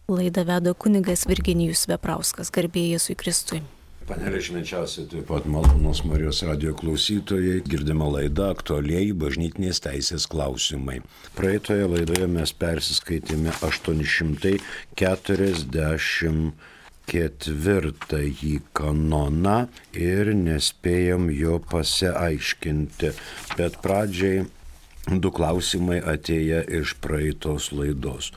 Laidą veda kunigas Virginijus Veprauskas, garbė Jėzui Kristui. Panelė švenčiausiai, taip pat malonūs Marijos radijo klausytojai, girdima laida aktualieji bažnytinės teisės klausimai. Praeitoje laidoje mes persiskaitėme 844 kanoną ir nespėjom jo pasiaiškinti, bet pradžiai du klausimai atėję iš praeitos laidos.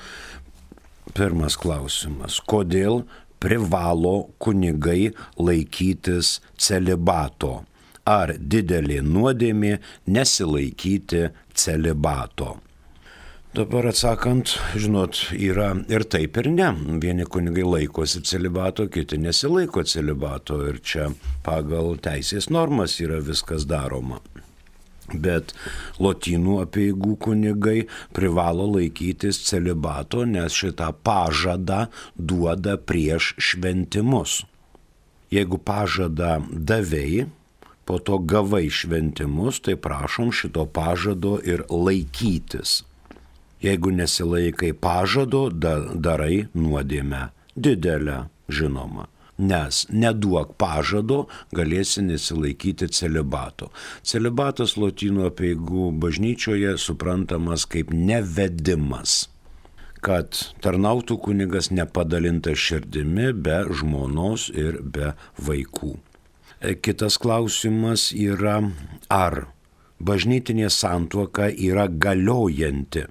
Pirmas klausimas. Kodėl privalo kunigai laikytis celibato? Ar didelė nuodėmė nesilaikyti celibato? Dabar atsakant, žinot, yra ir taip ir ne. Vieni kunigai laikosi celibato, kiti nesilaiko celibato ir čia pagal teisės normas yra viskas daroma. Bet lotynų apeigų kunigai privalo laikytis celibato, nes šitą pažadą duoda prieš šventimus. Jeigu pažadą davei, po to gavai šventimus, tai prašom šito pažado ir laikytis. Jeigu nesilaikai pažado, darai nuodėmę didelę, žinoma. Nes neduok pažado, galėsi nesilaikyti celibato. Celibatas lotynų apeigų bažnyčioje suprantamas kaip nevedimas, kad tarnautų kunigas nepadalintas širdimi be žmonos ir be vaikų. Kitas klausimas yra, ar bažnytinė santuoka yra galiojanti,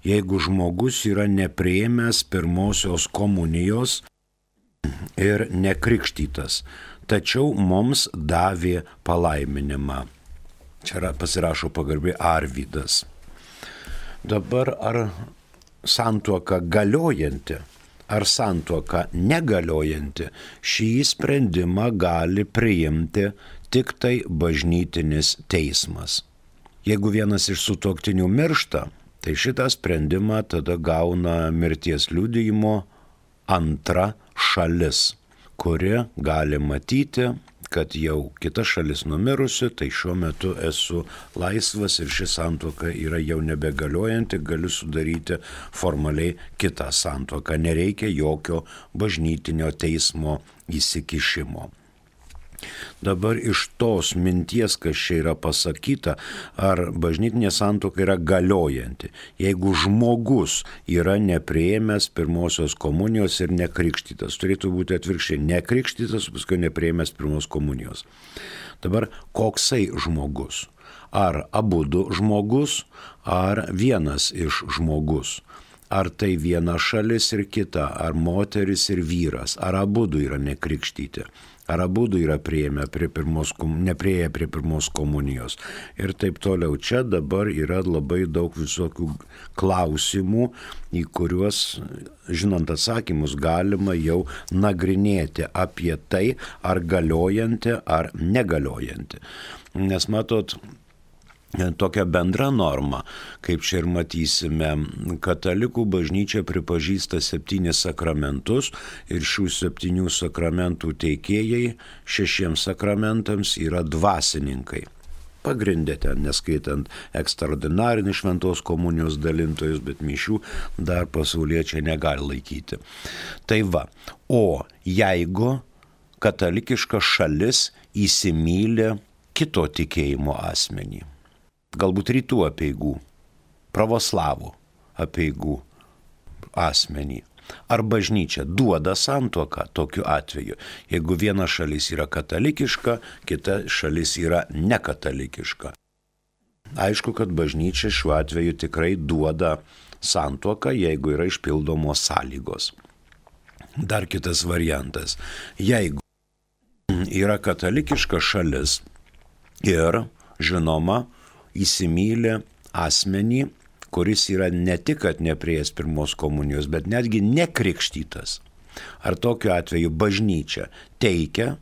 jeigu žmogus yra nepriėmęs pirmosios komunijos ir nekrikštytas, tačiau mums davė palaiminimą. Čia pasirašo pagarbiai Arvydas. Dabar ar santuoka galiojanti, ar santuoka negaliojanti, šį sprendimą gali priimti tik tai bažnytinis teismas. Jeigu vienas iš sutuoktinių miršta, tai šitą sprendimą tada gauna mirties liudijimo antra šalis, kuri gali matyti, kad jau kita šalis numirusi, tai šiuo metu esu laisvas ir ši santuoka yra jau nebegaliojanti, galiu sudaryti formaliai kitą santuoką. Nereikia jokio bažnytinio teismo įsikišimo. Dabar iš tos minties, kas čia yra pasakyta, ar bažnytinė santuoka yra galiojanti, jeigu žmogus yra nepriėmęs pirmosios komunijos ir nekrikštytas. Turėtų būti atvirkščiai, nekrikštytas, paskui nepriėmęs pirmos komunijos. Dabar koksai žmogus? Ar abudu žmogus, ar vienas iš žmogus? Ar tai viena šalis ir kita, ar moteris ir vyras, ar abudu yra nekrikštyti? Ar abudu yra neprieėję prie pirmos komunijos. Ir taip toliau. Čia dabar yra labai daug visokių klausimų, į kuriuos, žinant atsakymus, galima jau nagrinėti apie tai, ar galiojanti, ar negaliojanti. Nes matot, tokia bendra norma, kaip čia ir matysime, katalikų bažnyčia pripažįsta 7 sakramentus ir šių 7 sakramentų teikėjai 6 sakramentams yra dvasininkai. Pagrindė ten, neskaitant ekstraordinarinį šventos komunijos dalintojus, bet mišių dar pasauliečiai negali laikyti. Tai va, o jeigu katalikiška šalis įsimyli kito tikėjimo asmenį, galbūt rytų apeigų, pravoslavų apeigų asmenį. Ar bažnyčia duoda santuoką tokiu atveju, jeigu viena šalis yra katalikiška, kita šalis yra nekatalikiška. Aišku, kad bažnyčia šiuo atveju tikrai duoda santuoką, jeigu yra išpildomos sąlygos. Dar kitas variantas. Jeigu yra katalikiška šalis ir, žinoma, įsimylė asmenį, kuris yra ne tik, kad nepriėjęs pirmos komunijos, bet netgi nekrikštytas. Ar tokiu atveju bažnyčia teikia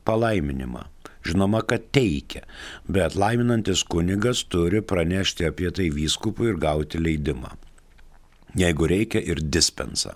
palaiminimą? Žinoma, kad teikia, bet laiminantis kunigas turi pranešti apie tai vyskupui ir gauti leidimą. Jeigu reikia, ir dispensą.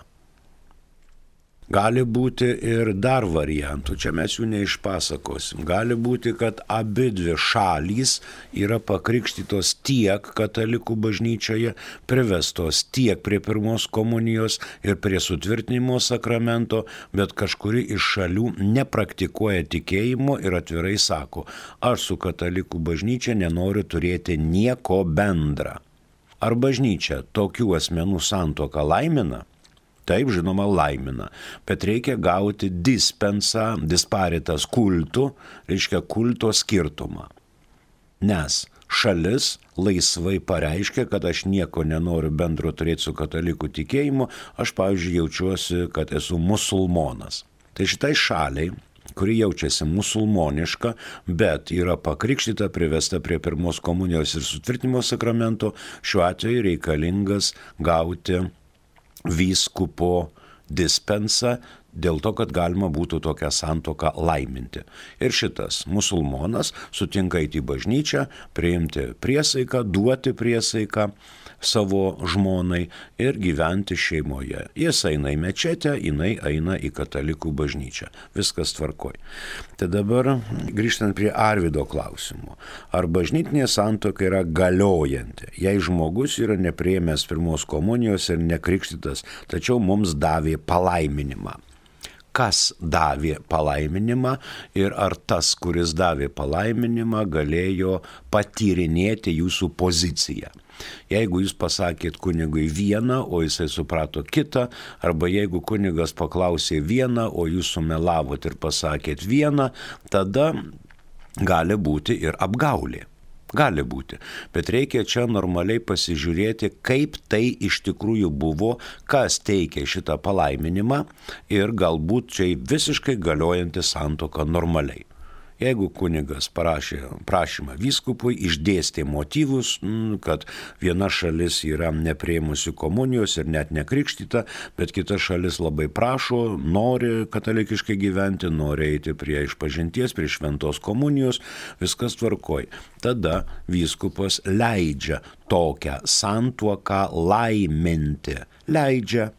Gali būti ir dar variantų, čia mes jų neišpasakosim. Gali būti, kad abidvi šalys yra pakrikštytos tiek katalikų bažnyčioje, privestos tiek prie pirmos komunijos ir prie sutvirtinimo sakramento, bet kažkuri iš šalių nepraktikuoja tikėjimo ir atvirai sako, aš su katalikų bažnyčia nenoriu turėti nieko bendra. Ar bažnyčia tokių asmenų santuoką laimina? Taip, žinoma, laimina, bet reikia gauti dispensą, disparitas kultų, reiškia kulto skirtumą. Nes šalis laisvai pareiškia, kad aš nieko nenoriu bendro turėti su katalikų tikėjimu, aš, pavyzdžiui, jaučiuosi, kad esu musulmonas. Tai šitai šaliai, kuri jaučiasi musulmoniška, bet yra pakrikštyta, privesta prie pirmos komunijos ir sutvirtinimo sakramento, šiuo atveju reikalingas gauti vyskupo dispensą dėl to, kad galima būtų tokią santuoką laiminti. Ir šitas musulmonas sutinka eiti į bažnyčią, priimti priesaiką, duoti priesaiką savo žmonai ir gyventi šeimoje. Jis eina į mečetę, jinai eina į katalikų bažnyčią. Viskas tvarkoj. Tai dabar grįžtant prie Arvydo klausimo. Ar bažnytinė santuoka yra galiojanti, jei žmogus yra nepriėmęs pirmos komunijos ir nekrikštytas, tačiau mums davė palaiminimą? Kas davė palaiminimą ir ar tas, kuris davė palaiminimą, galėjo patyrinėti jūsų poziciją. Jeigu jūs pasakėt kunigui vieną, o jisai suprato kitą, arba jeigu kunigas paklausė vieną, o jūs sumelavot ir pasakėt vieną, tada gali būti ir apgaulė. Gali būti, bet reikia čia normaliai pasižiūrėti, kaip tai iš tikrųjų buvo, kas teikė šitą palaiminimą ir galbūt čia visiškai galiojanti santuoka normaliai. Jeigu kunigas parašė prašymą vyskupui, išdėstė motyvus, kad viena šalis yra nepriėmusi komunijos ir net nekrikštyta, bet kita šalis labai prašo, nori katalikiškai gyventi, nori eiti prie išpažinties, prie šventos komunijos, viskas tvarkoj. Tada vyskupas leidžia tokią santuoką laiminti. Leidžia.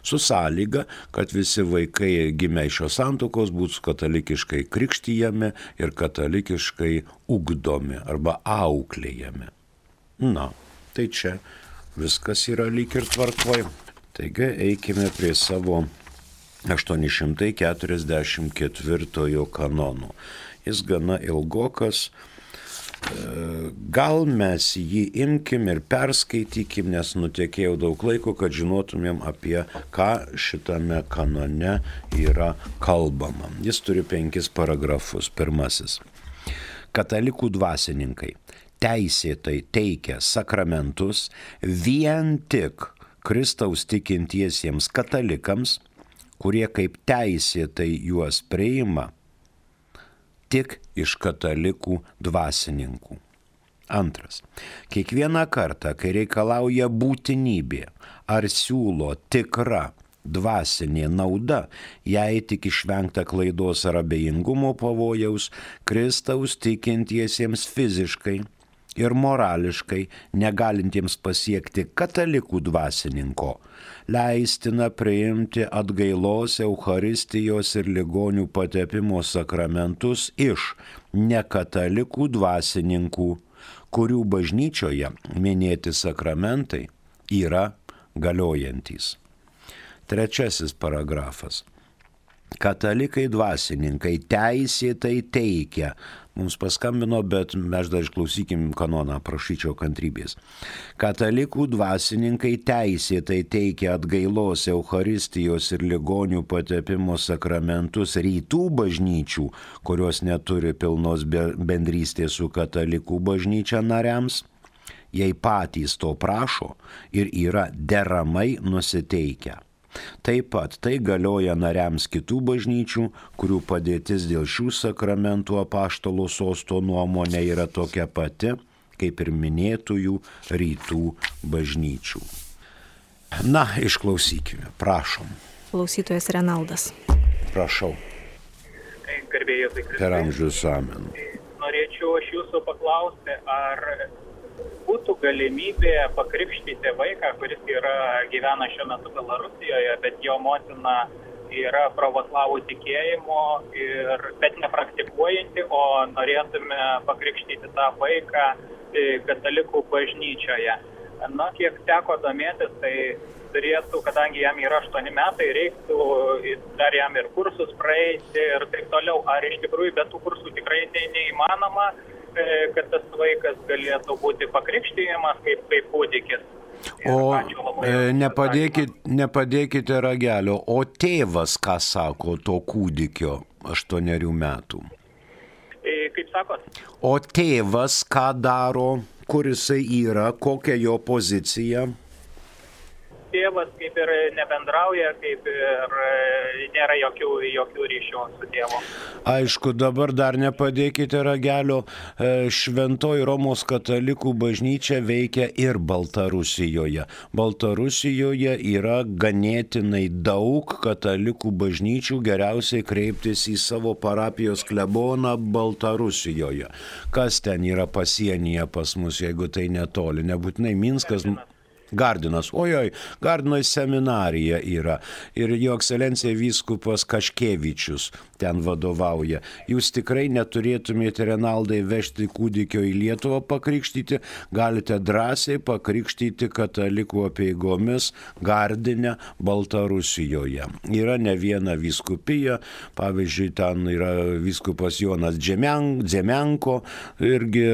Su sąlyga, kad visi vaikai gimę iš šios santuokos būtų katalikiškai krikštyjami ir katalikiškai ugdomi arba auklėjami. Na, tai čia viskas yra lyg ir tvarkoj. Taigi eikime prie savo 844 kanono. Jis gana ilgokas. Gal mes jį imkim ir perskaitykim, nes nutekėjau daug laiko, kad žinotumėm, apie ką šitame kanone yra kalbama. Jis turi 5 paragrafus. Pirmasis. Katalikų dvasininkai teisėtai teikia sakramentus vien tik Kristaus tikintiesiems katalikams, kurie kaip teisėtai juos priima tik iš katalikų dvasininkų. Antras. Kiekvieną kartą, kai reikalauja būtinybė ar siūlo tikra dvasinė nauda, jei tik išvengta klaidos ar abejingumo pavojaus, Kristaus tikintiesiems fiziškai ir morališkai negalintiems pasiekti katalikų dvasininko, leistina priimti atgailos, eucharistijos ir ligonių patepimo sakramentus iš nekatalikų dvasininkų, kurių bažnyčioje minėti sakramentai yra galiojantys. Trečiasis paragrafas. Katalikai dvasininkai teisėtai teikia. Mums paskambino, bet mes dar išklausykim kanoną, prašyčiau kantrybės. Katalikų dvasininkai teisėtai teikia atgailos, eucharistijos ir ligonių patepimo sakramentus rytų bažnyčių, kurios neturi pilnos bendrystės su katalikų bažnyčia nariams, jei patys to prašo ir yra deramai nusiteikę. Taip pat tai galioja nariams kitų bažnyčių, kurių padėtis dėl šių sakramentų apaštalo sosto nuomonė yra tokia pati, kaip ir minėtųjų rytų bažnyčių. Na, išklausykime, prašom. Klausytojas Renaldas. Prašau. Garbėjai Kristai. Per amžius amen. Norėčiau aš jūsų paklausti, ar būtų galimybė pakrikštyti vaiką, kuris gyvena šiuo metu Belarusijoje, bet jo motina yra pravoslavų tikėjimo, bet nepraktikuojanti, o norėtume pakrikštyti tą vaiką katalikų bažnyčioje. Na, kiek teko domėtis, tai turėtų, kadangi jam yra 8 metai, reiktų dar jam ir kursus praeiti ir taip toliau. Ar iš tikrųjų be tų kursų tikrai neįmanoma, kad tas vaikas galėtų būti pakrikštijamas kaip kūdikis? O nepadėkite ragelio, o tėvas ką sako to kūdikio 8 metų? Kaip sakot? O tėvas ką daro, kur jisai yra, kokia jo pozicija? Tėvas kaip ir nebendrauja, kaip ir nėra jokių ryšių su tėvu. Aišku, dabar dar nepadėkite ragelio, Šventoji Romos katalikų bažnyčia veikia ir Baltarusijoje. Baltarusijoje yra ganėtinai daug katalikų bažnyčių, geriausiai kreiptis į savo parapijos kleboną Baltarusijoje. Kas ten yra pasienyje pas mus, jeigu tai netoli, nebūtinai Minskas. Gardinas, Gardino seminarija yra ir jo ekscelencija vyskupas Kaškevičius ten vadovauja. Jūs tikrai neturėtumėte, Renaldai, vežti kūdikio į Lietuvą pakrikštyti, galite drąsiai pakrikštyti katalikų apeigomis Gardine, Baltarusijoje. Yra ne viena vyskupija, pavyzdžiui, ten yra vyskupas Jonas Dzemenko, irgi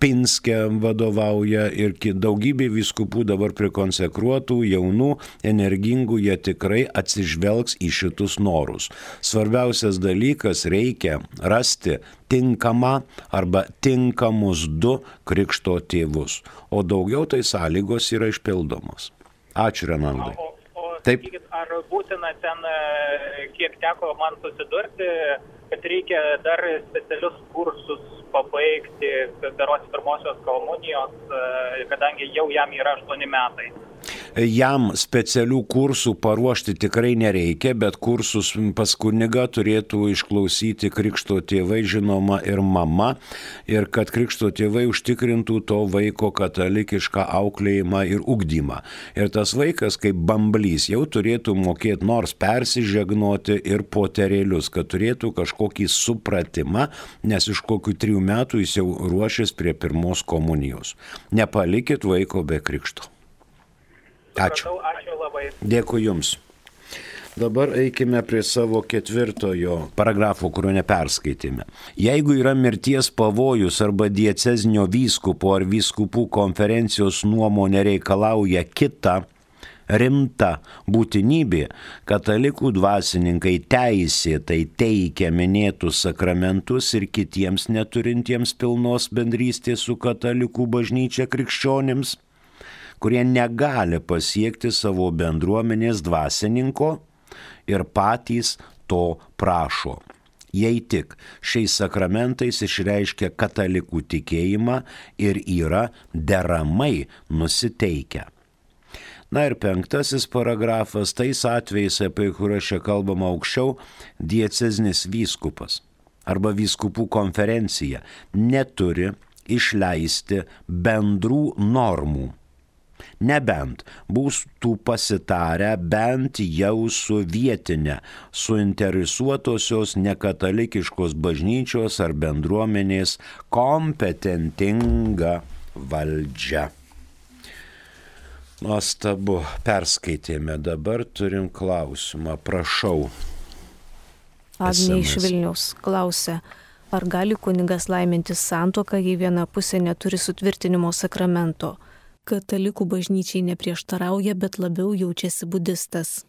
Pinske vadovauja ir daugybė vyskupų dabar prikonsekruotų, jaunų, energingų, jie tikrai atsižvelgs į šitus norus. Svarbiausias dalykas, reikia rasti tinkamą arba tinkamus 2 krikšto tėvus, o daugiau tai sąlygos yra išpildomos. Ačiū, Renaldai. Taip. Ar būtina ten, kiek teko man susidurti, kad reikia dar specialius kursus pabaigti, berods pirmosios komunijos, kadangi jau jam yra 8 metai? Jam specialių kursų paruošti tikrai nereikia, bet kursus pas kunigą turėtų išklausyti krikšto tėvai, žinoma, ir mama, ir kad krikšto tėvai užtikrintų to vaiko katalikišką auklėjimą ir ugdymą. Ir tas vaikas, kaip bamblys, jau turėtų mokėti nors persižegnoti ir poterėlius, kad turėtų kažkokį supratimą, nes iš kokių 3 metų jis jau ruošės prie pirmos komunijos. Nepalikit vaiko be krikšto. Ačiū. Ačiū labai. Dėkui Jums. Dabar eikime prie savo 4 paragrafo, kurio neperskaitėme. Jeigu yra mirties pavojus arba diecezinio vyskupo ar vyskupų konferencijos nuomonė reikalauja kitą rimta būtinybė, katalikų dvasininkai teisėtai teikia minėtus sakramentus ir kitiems neturintiems pilnos bendrystės su katalikų bažnyčia krikščionims, kurie negali pasiekti savo bendruomenės dvasininko ir patys to prašo. Jei tik šiais sakramentais išreiškia katalikų tikėjimą ir yra deramai nusiteikę. Na ir 5 paragrafas, tais atvejais, apie kuriuos čia kalbama aukščiau, diecezinis vyskupas arba vyskupų konferencija neturi išleisti bendrų normų, nebent būtų pasitarę bent jau su vietinė, suinteresuotosios nekatalikiškos bažnyčios ar bendruomenės kompetentinga valdžia. Nuostabu, perskaitėme, dabar turim klausimą, prašau. Agnė iš Vilniaus klausia, ar gali kunigas laiminti santuoką, jei viena pusė neturi sutvirtinimo sakramento? Katalikų bažnyčiai neprieštarauja, bet labiau jaučiasi budistas.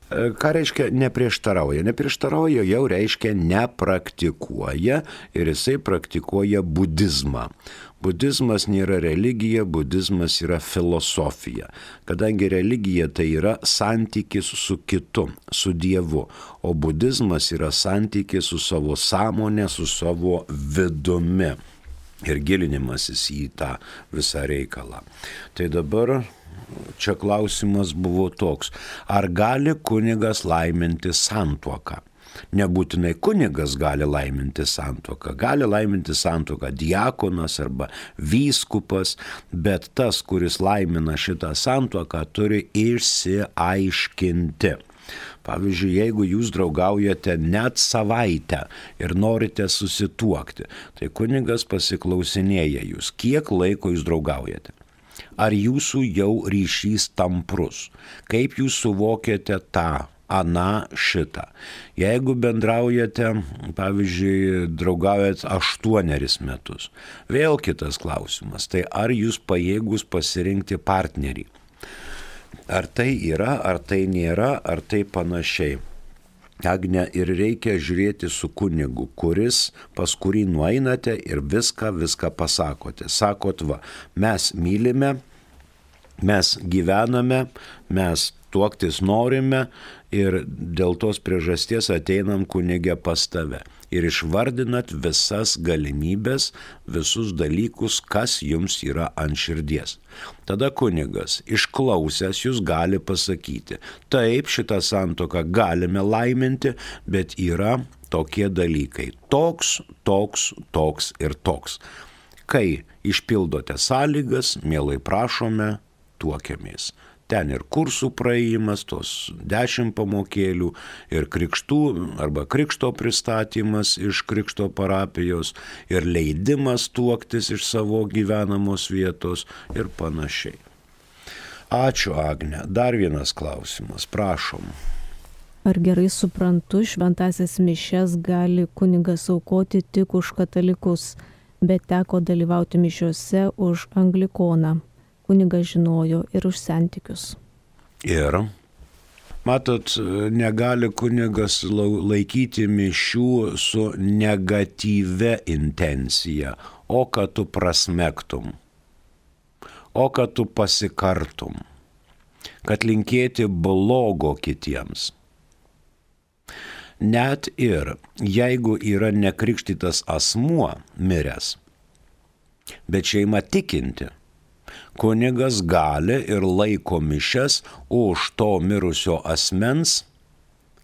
Ką reiškia neprieštarauja? Neprieštarauja jau reiškia nepraktikuoja ir jisai praktikuoja budizmą. Budizmas nėra religija, budizmas yra filosofija. Kadangi religija tai yra santykis su kitu, su Dievu, o budizmas yra santykis su savo sąmonė, su savo vidumi. Ir gilinimasis į tą visą reikalą. Tai dabar čia klausimas buvo toks, ar gali kunigas laiminti santuoką? Nebūtinai kunigas gali laiminti santuoką, gali laiminti santuoką diakonas arba vyskupas, bet tas, kuris laimina šitą santuoką, turi išsiaiškinti, Pavyzdžiui, jeigu jūs draugaujate net savaitę ir norite susituokti, tai kunigas pasiklausinėja jūs, kiek laiko jūs draugaujate. Ar jūsų jau ryšys tamprus? Kaip jūs suvokiate tą, aną, šitą? Jeigu bendraujate, pavyzdžiui, draugaujat 8 metus, vėl kitas klausimas, tai ar jūs pajėgus pasirinkti partnerį? Ar tai yra, ar tai nėra, ar tai panašiai? Agne, ir reikia žiūrėti su kunigu, pas kurį nueinate ir viską pasakote. Sakot, va, mes mylime, mes gyvename, mes tuoktis norime ir dėl tos priežasties ateinam kunige pas tave. Ir išvardinat visas galimybės, visus dalykus, kas jums yra ant širdies. Tada kunigas, išklausęs, jūs gali pasakyti, taip, šitą santuoką galime laiminti, bet yra tokie dalykai. Toks ir toks. Kai išpildote sąlygas, mielai prašome, tuokiamės. Ten ir kursų praėjimas, tos 10 pamokėlių, ir krikštų arba krikšto pristatymas iš krikšto parapijos, ir leidimas tuoktis iš savo gyvenamos vietos ir panašiai. Ačiū, Agne. Dar vienas klausimas, prašom. Ar gerai suprantu, šventąsias mišias gali kunigas aukoti tik už katalikus, bet teko dalyvauti mišiuose už anglikoną? Kunigas žinojo ir už santykius. Ir, matot, negali kunigas laikyti mišių su negatyvia intencija, o kad tu prasmektum, o kad tu pasikartum, kad linkėti blogo kitiems. Net ir jeigu yra nekrikštytas asmuo miręs, bet šeima tikinti, kunigas gali ir laiko mišias už to mirusio asmens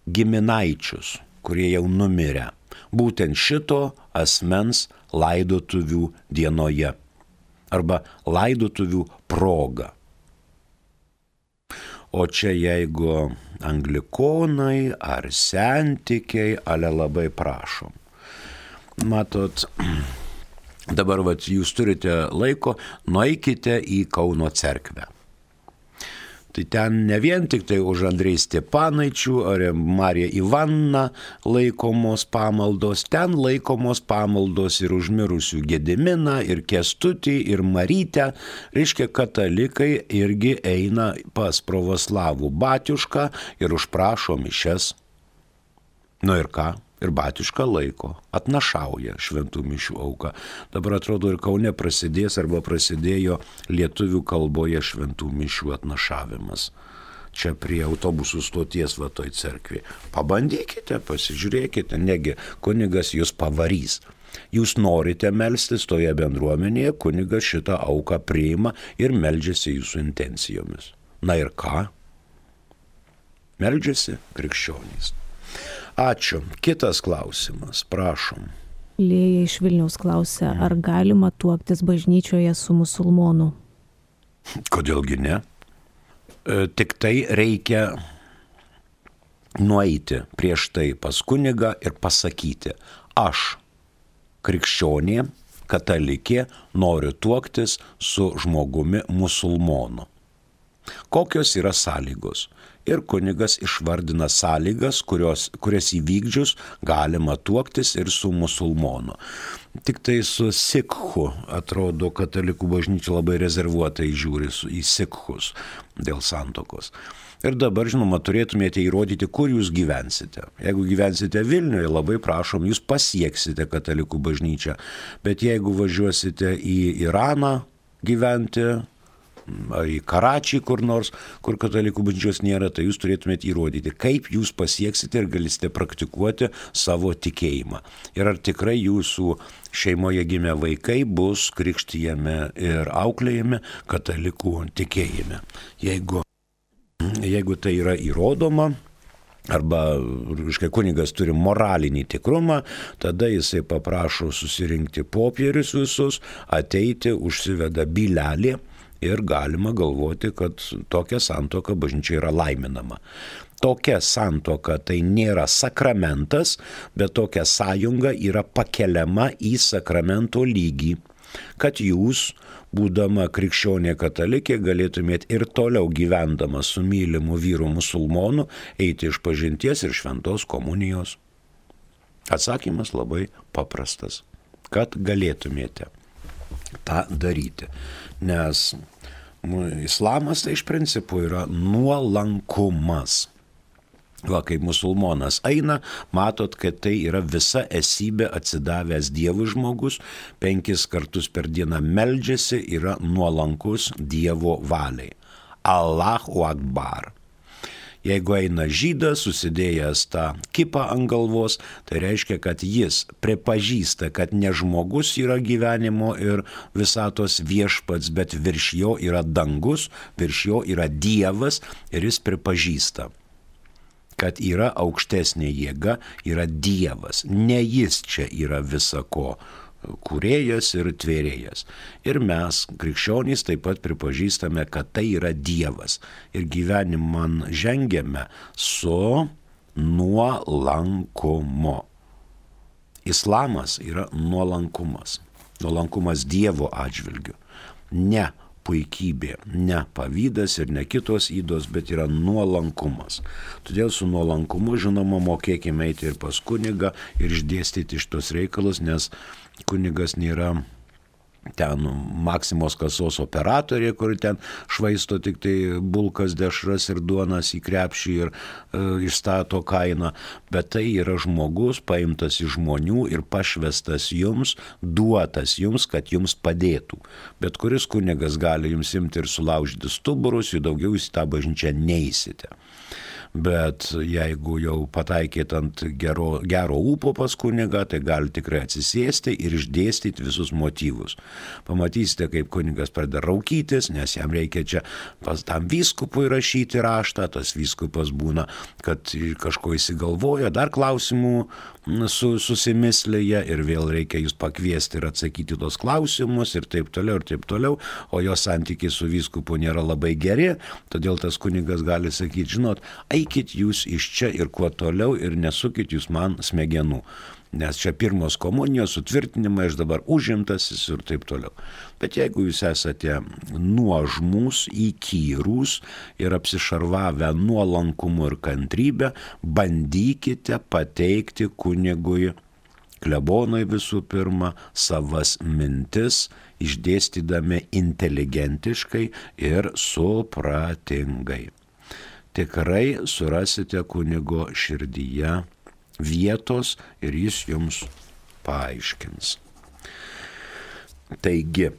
giminaičius, kurie jau numirė, būtent šito asmens laidotuvių dienoje arba laidotuvių proga. O čia jeigu anglikonai ar sentikiai, ale labai prašom. Matot, dabar jūs turite laiko, nueikite į Kauno cerkvę. Tai ten ne vien tik tai už Andrei Stepanaičių ar Mariją Ivaną laikomos pamaldos, ten laikomos pamaldos ir už mirusių Gediminą, ir Kęstutį, ir Marytę. Reiškia, katalikai irgi eina pas pravoslavų batiušką ir užprašo mišias. Nu ir ką? Ir batiuška laiko, atnašauja šventų mišių auką. Dabar atrodo ir Kaune prasidės arba prasidėjo lietuvių kalboje šventų mišių atnašavimas. Čia prie autobusų stoties va toj cerkvėje. Pabandykite, pasižiūrėkite, negi kunigas jūs pavarys. Jūs norite melstis toje bendruomenėje, kunigas šitą auką priima ir meldžiasi jūsų intencijomis. Na ir ką? Meldžiasi krikščionys. Ačiū. Kitas klausimas, prašom. Lėja iš Vilniaus klausia, ar galima tuoktis bažnyčioje su musulmonu? Kodėlgi ne? Tik tai reikia nueiti prieš tai pas kunigą ir pasakyti, aš, krikščionė, katalikė, noriu tuoktis su žmogumi musulmonu. Kokios yra sąlygos? Ir kunigas išvardina sąlygas, kurias įvykdžius galima tuoktis ir su musulmonu. Tik tai su sikhu, atrodo, katalikų bažnyčia labai rezervuotai žiūri į sikhus dėl santokos. Ir dabar, žinoma, turėtumėte įrodyti, kur jūs gyvensite. Jeigu gyvensite Vilniuje, labai prašom, jūs pasieksite katalikų bažnyčią. Bet jeigu važiuosite į Iraną gyventi, ar į Karačį kur nors, kur katalikų bažnyčios nėra, tai jūs turėtumėte įrodyti, kaip jūs pasieksite ir galite praktikuoti savo tikėjimą. Ir ar tikrai jūsų šeimoje gimę vaikai bus krikštijami ir auklėjami katalikų tikėjime. Jeigu tai yra įrodoma, arba kunigas turi moralinį tikrumą, tada jisai paprašo susirinkti popierius visus, ateiti, užsiveda bylelį ir galima galvoti, kad tokia santuoka bažnyčia yra laiminama. tokia santuoka tai nėra sakramentas, bet tokia sąjunga yra pakeliama į sakramento lygį, kad jūs, būdama krikščionė katalikė, galėtumėt ir toliau gyvendama su mylimu vyru musulmonu eiti iš pažinties ir šventos komunijos. Atsakymas labai paprastas, kad galėtumėte tą daryti, nes islamas tai iš principo yra nuolankumas. Va, kaip musulmonas eina, matot, kad tai yra visa esybė atsidavęs Dievui žmogus, 5 kartus per dieną meldžiasi, yra nuolankus Dievo valiai. Allahu Akbar. Jeigu eina žydas, susidėjęs tą kipą ant galvos, tai reiškia, kad jis pripažįsta, kad ne žmogus yra gyvenimo ir visatos viešpats, bet virš jo yra dangus, virš jo yra Dievas ir jis pripažįsta, kad yra aukštesnė jėga, yra Dievas. Ne jis čia yra visako kūrėjas ir tvėrėjas. Ir mes, krikščionys, taip pat pripažįstame, kad tai yra Dievas. Ir gyvenimą žengiame su nuolankumu. Islamas yra nuolankumas. Nuolankumas Dievo atžvilgiu. Ne puikybė, ne pavydas ir ne kitos ydos, bet yra nuolankumas. Todėl su nuolankumu, žinoma, mokėkime eiti ir pas kunigą ir išdėstyti šitos reikalus, nes kunigas nėra ten Maksimos kasos operatorė, kur ten švaisto tik tai bulkas, dešras ir duonas į krepšį ir išstato kainą, bet tai yra žmogus paimtas iš žmonių ir pašvestas jums, duotas jums, kad jums padėtų. Bet kuris kunigas gali jums imti ir sulaužyti stuburus, jų daugiau jūs į tą bažnyčią neisite. Bet jeigu jau pataikėt ant gero ūpo pas kunigą, tai gali tikrai atsisėsti ir išdėstyti visus motyvus. Pamatysite, kaip kunigas pradeda raukytis, nes jam reikia čia pas tam vyskupui rašyti raštą, tas vyskupas būna, kad kažko įsigalvoja, dar klausimų susimislėje ir vėl reikia jūs pakviesti ir atsakyti tos klausimus ir taip toliau, o jo santykiai su vyskupu nėra labai geri, todėl tas kunigas gali sakyti, žinot, eikit jūs iš čia ir kuo toliau ir nesukit jūs man smegenų, nes čia pirmos komunijos sutvirtinimai, aš dabar užimtasis ir taip toliau. Bet jeigu jūs esate nuožmūs, įkyrūs ir apsišarvavę nuolankumu ir kantrybę, bandykite pateikti kunigui, klebonui visų pirma, savas mintis, išdėstydami inteligentiškai ir supratingai. Tikrai surasite kunigo širdyje vietos ir jis jums paaiškins. Taigi,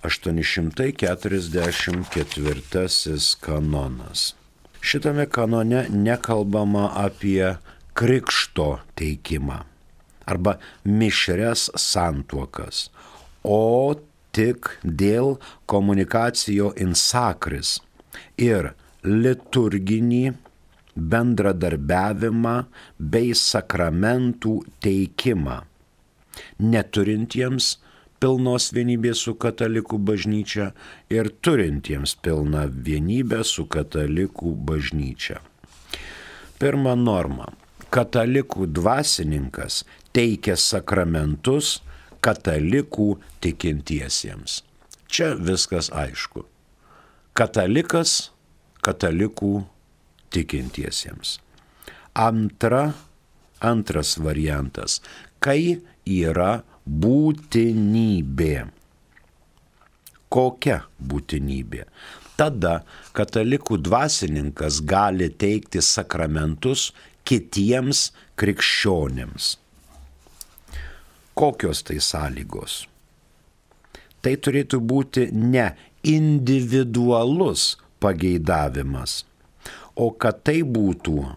844 kanonas. Šitame kanone nekalbama apie krikšto teikimą arba mišrias santuokas, o tik dėl komunikacijo in sacris ir liturginį bendradarbiavimą bei sakramentų teikimą, neturintiems pilnos vienybės su katalikų bažnyčia ir turintiems pilną vienybę su katalikų bažnyčia. Pirma norma. Katalikų dvasininkas teikia sakramentus katalikų tikintiesiems. Čia viskas aišku. Katalikas katalikų tikintiesiems. Antras variantas. Kai yra būtinybė. Kokia būtinybė? Tada katalikų dvasininkas gali teikti sakramentus kitiems krikščionėms. Kokios tai sąlygos? Tai turėtų būti ne individualus pageidavimas, o kad tai būtų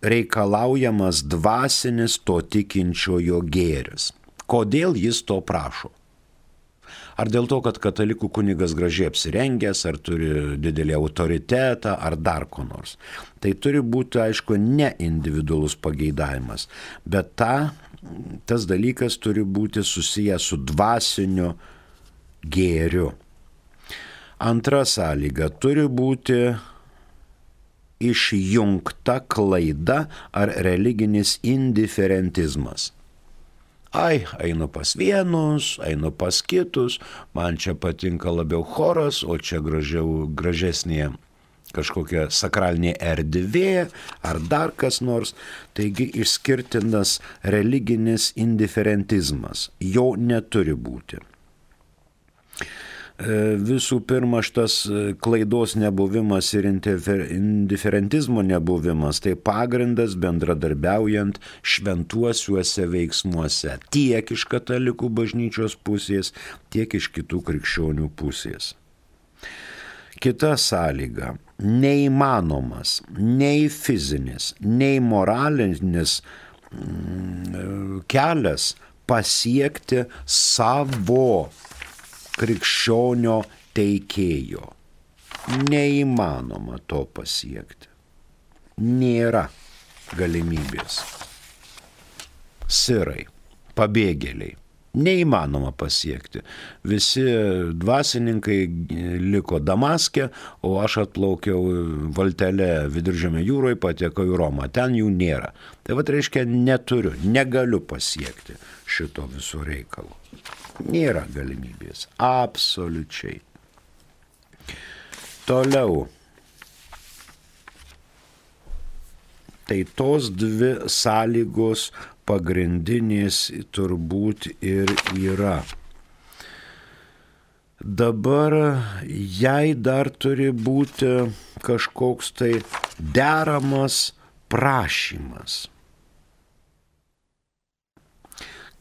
reikalaujamas dvasinis to tikinčiojo gėris. Kodėl jis to prašo? Ar dėl to, kad katalikų kunigas gražiai apsirengęs, ar turi didelį autoritetą, ar dar ko nors. Tai turi būti, aišku, ne individualus pageidavimas, bet tas dalykas turi būti susijęs su dvasiniu gėriu. Antra sąlyga turi būti išjungta klaida ar religinis indiferentizmas. Ai, einu pas vienus, einu pas kitus, man čia patinka labiau choras, o čia gražesnė kažkokia sakralinė erdvė ar dar kas nors. Taigi išskirtinas religinis indiferentizmas. Jo neturi būti. Visų pirma, šitas klaidos nebuvimas ir indiferentizmo nebuvimas tai pagrindas bendradarbiaujant šventuosiuose veiksmuose tiek iš katalikų bažnyčios pusės, tiek iš kitų krikščionių pusės. Kita sąlyga - neįmanomas nei fizinis, nei moralinis kelias pasiekti savo krikščionio teikėjo. Neįmanoma to pasiekti. Nėra galimybės. Sirai, pabėgėliai. Neįmanoma pasiekti. Visi dvasininkai liko Damaske, o aš atplaukiau valtele Viduržemio jūroje, patekau į Romą. Ten jų nėra. Tai reiškia, negaliu pasiekti šito viso reikalo. Nėra galimybės. Absoliučiai. Toliau. Tai tos dvi sąlygos pagrindinės turbūt ir yra. Dabar jai dar turi būti kažkoks tai deramas prašymas,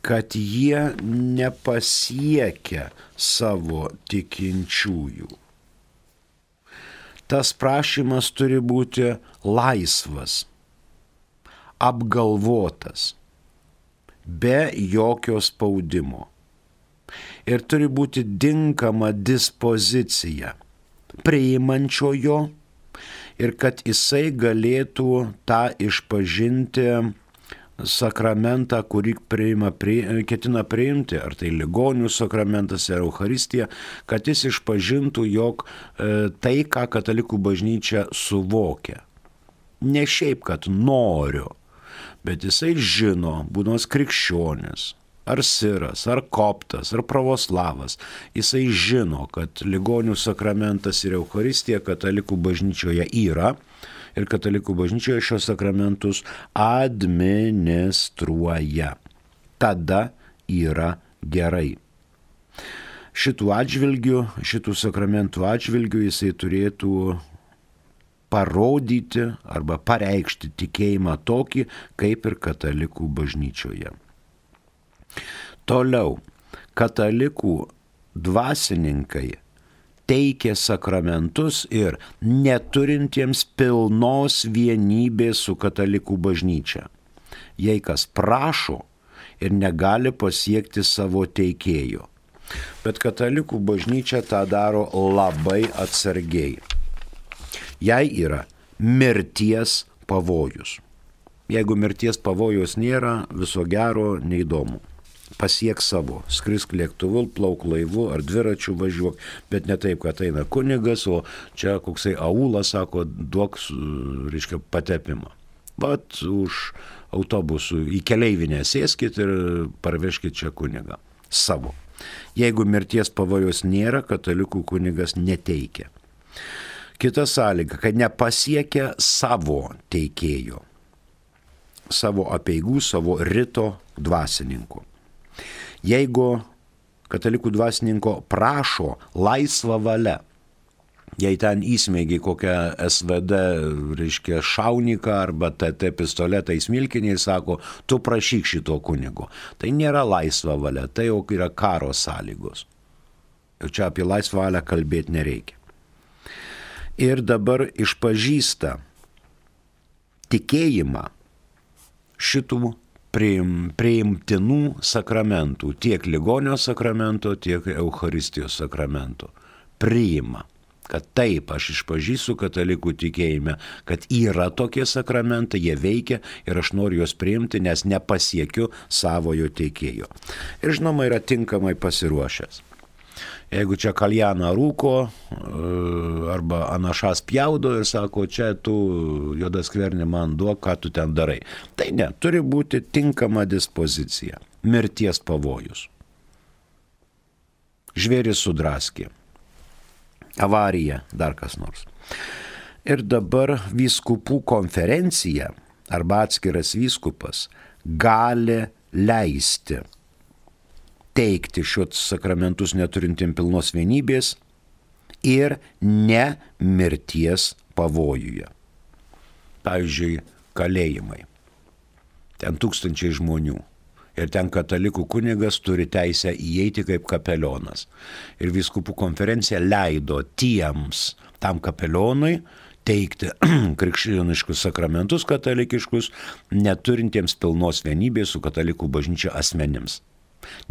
kad jie nepasiekia savo tikinčiųjų. Tas prašymas turi būti laisvas, apgalvotas, be jokio spaudimo. Ir turi būti tinkama dispozicija priimančiojo ir kad jisai galėtų tą išpažinti sakramentą, kurį ketina priimti, ar tai ligonių sakramentas, ar Eucharistija, kad jis išpažintų, jog tai, ką katalikų bažnyčia suvokia. Ne šiaip, kad noriu, bet jisai žino, būdamas krikščionis, ar siras, ar koptas, ar pravoslavas, jisai žino, kad ligonių sakramentas ir Eucharistija katalikų bažnyčioje yra ir katalikų bažnyčioje šios sakramentus administruoja. Tada yra gerai. Šitų sakramentų atžvilgių jisai turėtų parodyti arba pareikšti tikėjimą tokį, kaip ir katalikų bažnyčioje. Toliau, katalikų dvasininkai teikia sakramentus ir neturintiems pilnos vienybės su katalikų bažnyčia. Jei kas prašo ir negali pasiekti savo teikėjo. Bet katalikų bažnyčia tą daro labai atsargiai. Jai yra mirties pavojus. Jeigu mirties pavojus nėra, viso gero, neįdomu. Pasiek savo, skrisk lėktuvu, plauk laivu ar dviračiu važiuok, bet ne taip, kad eina kunigas, o čia koksai aulas sako, duok, reiškia, patepimą. Vat už autobusų į keleivinę sėskit ir parvežkit čia kunigą. Savo. Jeigu mirties pavojus nėra, katalikų kunigas neteikia. Kita sąlyga, kad nepasiekia savo teikėjo, savo apeigų, savo rito dvasininko. Jeigu katalikų dvasininko prašo laisvą valią, jei ten įsmeigiai kokią SVD, reiškia, šauniką arba TT pistoletą į smilkinį ir sako, tu prašyk šito kunigo. Tai nėra laisva valia, tai jau yra karo sąlygos. Ir čia apie laisvą valią kalbėti nereikia. Ir dabar išpažįsta tikėjimą šitų priimtinų sakramentų, tiek ligonio sakramento, tiek Eucharistijos sakramento. Priima, kad taip, aš išpažįstu katalikų tikėjime, kad yra tokie sakramentai, jie veikia ir aš noriu juos priimti, nes nepasiekiu savojo teikėjo. Ir žinoma, yra tinkamai pasiruošęs. Jeigu čia kaljaną rūko arba anašas pjaudo ir sako, čia tu juodas skvernį man duok, ką tu ten darai. Tai ne, turi būti tinkama dispozicija. Mirties pavojus. Žvėris sudraskė. Avarija, dar kas nors. Ir dabar vyskupų konferencija arba atskiras vyskupas gali leisti teikti šios sakramentus neturintiem pilnos vienybės ir ne mirties pavojuje. Pavyzdžiui, kalėjimai. Ten tūkstančiai žmonių. Ir ten katalikų kunigas turi teisę įeiti kaip kapelionas. Ir vyskupų konferencija leido tam kapelionui teikti krikščioniškus sakramentus katalikiškus, neturintiems pilnos vienybės su katalikų bažnyčia asmenims.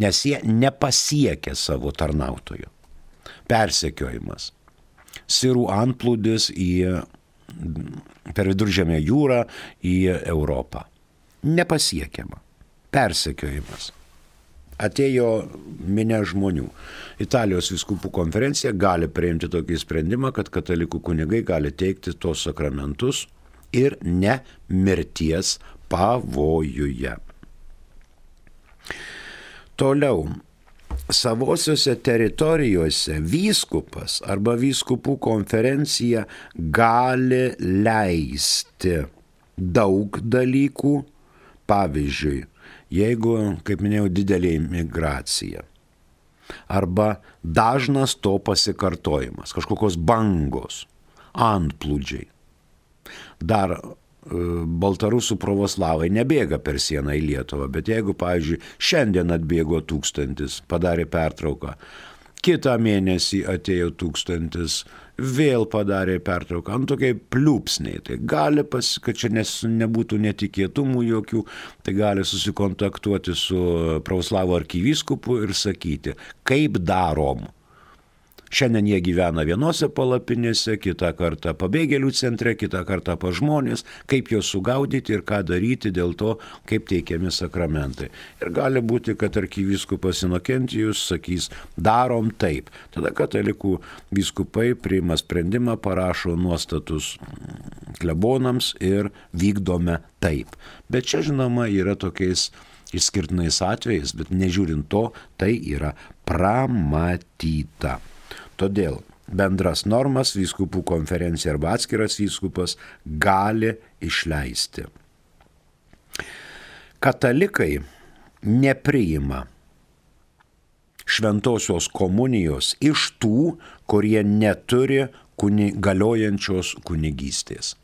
Nes jie nepasiekė savo tarnautojų. Persekiojimas. Sirų antplūdis per Viduržemę jūrą į Europą. Nepasiekiama. Persekiojimas. Atėjo minia žmonių. Italijos vyskupų konferencija gali priimti tokį sprendimą, kad katalikų kunigai gali teikti tos sakramentus ir ne mirties pavojuje. Toliau, savosiuose teritorijose vyskupas arba vyskupų konferencija gali leisti daug dalykų. Pavyzdžiui, jeigu, kaip minėjau, didelė migracija arba dažnas to pasikartojimas, kažkokios bangos, antplūdžiai. Dar baltarusų pravoslavai nebėga per sieną į Lietuvą, bet jeigu, pavyzdžiui, šiandien atbėgo 1000, padarė pertrauką, kitą mėnesį atėjo 1000, vėl padarė pertrauką, tokiai pliūpsniai, tai gali, kad čia nebūtų netikėtumų jokių, tai gali susikontaktuoti su pravoslavų arkivyskupu ir sakyti, kaip darom. Šiandien jie gyvena vienose palapinėse, kitą kartą pabėgėlių centre, kitą kartą pas žmonės, kaip juos sugaudyti ir ką daryti dėl to, kaip teikiami sakramentai. Ir gali būti, kad arkivyskupas Inokentijus sakys, darom taip. Tada katalikų vyskupai priima sprendimą, parašo nuostatus klebonams ir vykdome taip. Bet čia, žinoma, yra tokiais išskirtinais atvejais, bet nežiūrint to, tai yra pramatyta. Todėl bendras normas vyskupų konferencija arba atskiras vyskupas gali išleisti. Katalikai nepriima šventosios komunijos iš tų, kurie neturi galiojančios kunigystės.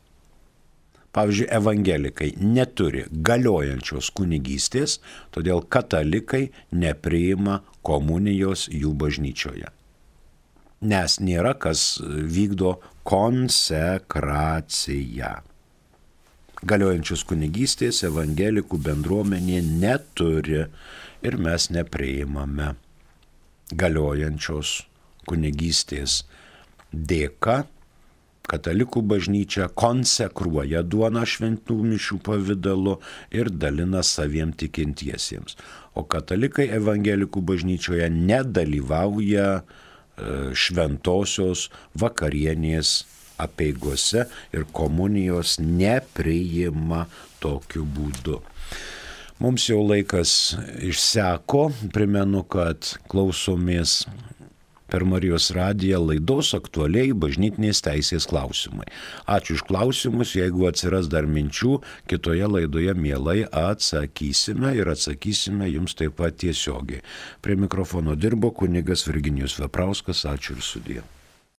Pavyzdžiui, evangelikai neturi galiojančios kunigystės, todėl katalikai nepriima komunijos jų bažnyčioje. Nes nėra kas vykdo konsekraciją. Galiojančios kunigystės evangelikų bendruomenė neturi ir mes nepriimame galiojančios kunigystės. Dėka katalikų bažnyčia konsekruoja duoną šventų mišių pavidalu ir dalina saviem tikintiesiems. O katalikai evangelikų bažnyčioje nedalyvauja šventosios vakarienės apeigose ir komunijos nepriima tokiu būdu. Mums jau laikas išseko, primenu, kad klausomės per Marijos radiją laidos aktualiai bažnytinės teisės klausimai. Ačiū už klausimus, jeigu atsiras dar minčių, kitoje laidoje mielai atsakysime ir atsakysime jums taip pat tiesiogiai. Prie mikrofono dirbo kunigas Virginijus Veprauskas, ačiū ir sudie.